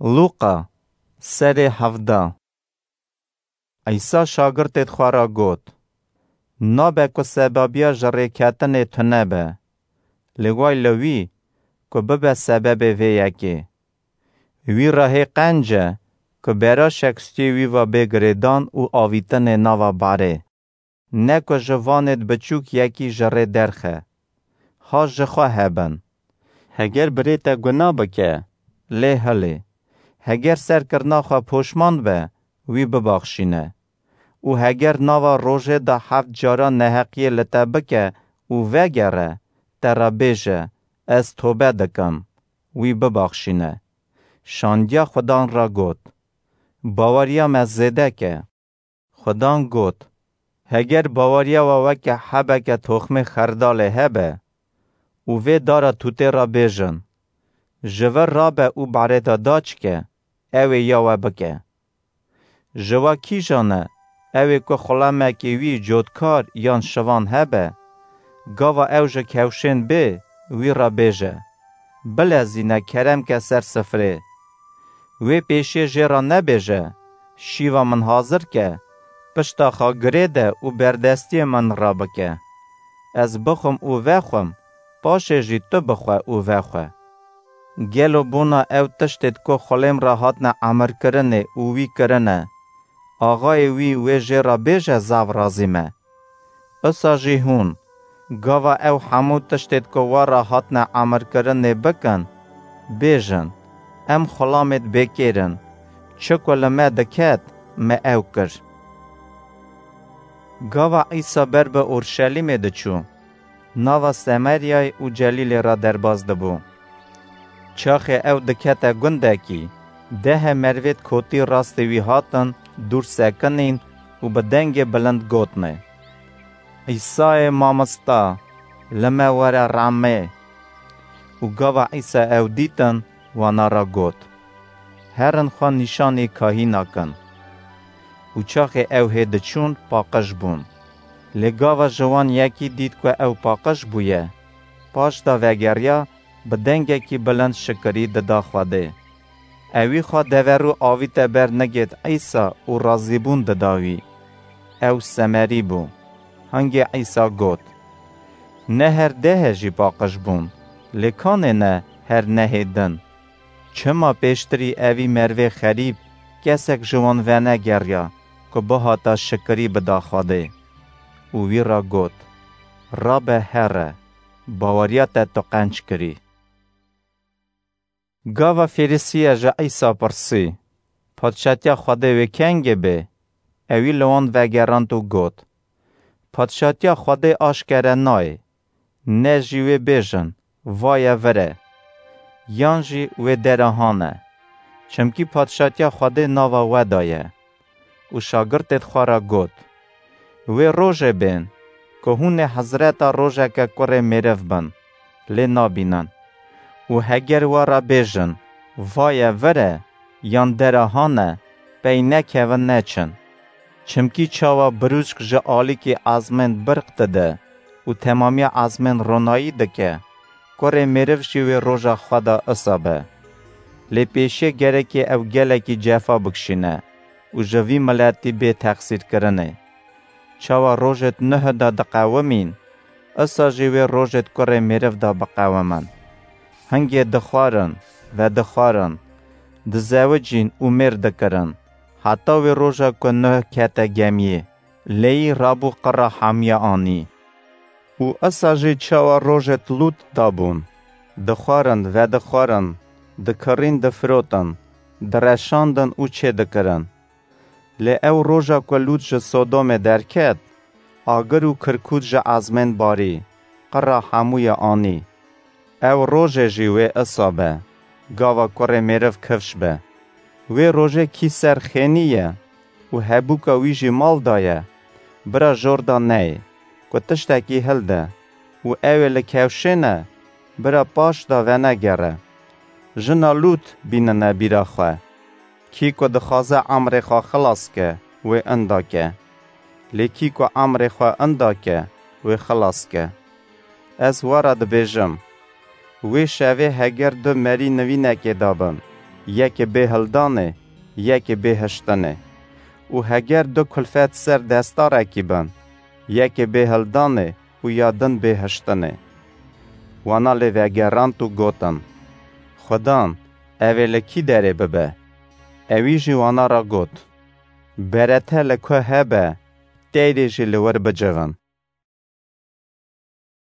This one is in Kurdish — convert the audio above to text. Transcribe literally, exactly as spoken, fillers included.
Lûqa, serê hevdeh. Îsa şagirtêd xwe re got, Nabe ku sebebiya ji rêketinê tune be, lê way li wî ku bibe sebebê vê yekê. Wî re hê qenc e ku beraşek stûyê wî ve bê girêdan û avîtinê nava barê. Ne ku ji vanêd biçûk yekî ji rê derxe. Ha ji xwe hebin. Heger birê te guna bike, lê hilê. Heger serkirina xwe poşman be, wî bibaxşîne. Û heger nava rojê de heft cara neheqiyê li te bike û vegere, te re bêje, Ez tobe dikim, wî bibaxşîne. Şandiya Xudan re got, Baweriya me zêde ke. Xudan got, Heger baweriya we weke hebeke toxmê xerdalê hebe û vê dara tûtê re bêjin, Ji vir rabe û barê de daçike, ew ê ya we bike. Ji we kîjan e, ew ê ku xulemekê wî cotkar yan şivan hebe, gava ew ji kewşên bê, wî re bêje, Bilezîne, kerem ke ser sifrê. Wê pêşiyê jê re nebêje, Şîva min hazir ke, pişta xwe girê de û berdestiyê min rabike. Ez bixwim û vexwim, paşê jî tu bixwe û vexwe. Gelo bona ew tiştêd ku xulêm re hatine emirkirinê û wî kirine, axayê wî wê jê re bêje, Zav razî me? Usa jî hûn, gava ew hemû tiştêd ku we re hatine emirkirinê bikin, bêjin, Em xulamêd bêkêr in, çi ku li me diket, me ew kir. Gava Îsa ber bi Orşelîmê diçû, nava Semeryayê û Celîlê re derbas dibû. Çaxê ew dikete gundekî, dehe merivêd kotî rastê wî hatin dûr sekinîn û bi dengê bilind gotine, Îsayê Mamosta, li me were rehmê. Û gava Îsa ew dîtin, wana re got, Herin xwe nîşanî kahîna kin. Û çaxê ew hê diçûn, paqij bûn. Lê gava ji wan yekî dît ku ew paqij bûye, paş de vegeriya, bi dengekî bilind şikirî dida Xwedê. Ewî xwe deverû avîte ber nigêd Îsa û razîbûn dida wî. Ew Semerî bû. Hingê Îsa got, Ne her dehê jî paqij bûn, lê kanê ne her nehê din? Çima pêştirî evî merivê xerîb kesek ji wan venegeriya ku bihata şikirî bida Xwedê? Û wî re got, Rabe here, baweriya te tu qenc kirî. Gava Fêrisiye ji Îsa pirsî, Padşatiya Xwedê wê kengê bê? Ewî li wan vegerand û got, Padşatiya Xwedê aşkere nayê, ne jî wê bêjin, Vaye vir e, yan jî wê dera hane, çimkî Padşatiya Xwedê nava we de ye. Û şagirtêd xwe re got, Wê rojê bên, ku hûn ê hezreta rojeke kurê mêriv bin, lê nabînin. Û heger we re bêjin, Vaye vir e, yan dera hane, pey nekevin neçin. Çimkî çawa birûçk ji alîkî ezmên birq dide û temamiya ezmên ronayî dike, kurê mêriv jî wê roja xwe de isa be. Lê pêşiyê gerekê ew gelekî cefa bikişîne û ji vî miletî bê texsîrkirinê. Çawa rojêd nuh de diqewimîn, isa jî wê rojêd kurê mêriv de biqewimin. Hingê dixwarin, vedixwarin, dizewicîn û mêr dikirin, heta wê roja ku nuh kete gemiyê, lêyî rabû qira hemiya anî. Û isa jî çawa rojêd Lût dabûn, dixwarin, vedixwarin, dikirîn, difirotin, direşandin û çêdikirin. Lê ew roja ku Lût ji Sodomê derket, agir û kirkût ji ezmên barî, qira hemûye anî. Ew rojê jî wê isa be, gava kurê mêriv kifş be. Wê rojê kî ser xênî ye û hebûka wî jî mal de ye, bira jor de neyê, ku tiştekî hilde û ew ê li kewşê ne, bira paş de venegere. Jina Lût bînine bîra xwe. Kî ku dixwaze emrê xwe xilas ke, wê inda ke. Lê kî ku emrê xwe inda ke, wê xilas ke. Ez we re dibêjim, wê şevê heger du merî nivînekê dabin, yekê bêhildanê, yekê bêhiştinê. Û heger du kulfet ser destarekî bin, yekê bêhildanê û ya din bêhiştinê. Wana lê vegerand û gotin: Xudan, ev ê li kî derê bibe? Ewî jî wana re got: Berete li ku hebe, teyrê jî li wir bicivin.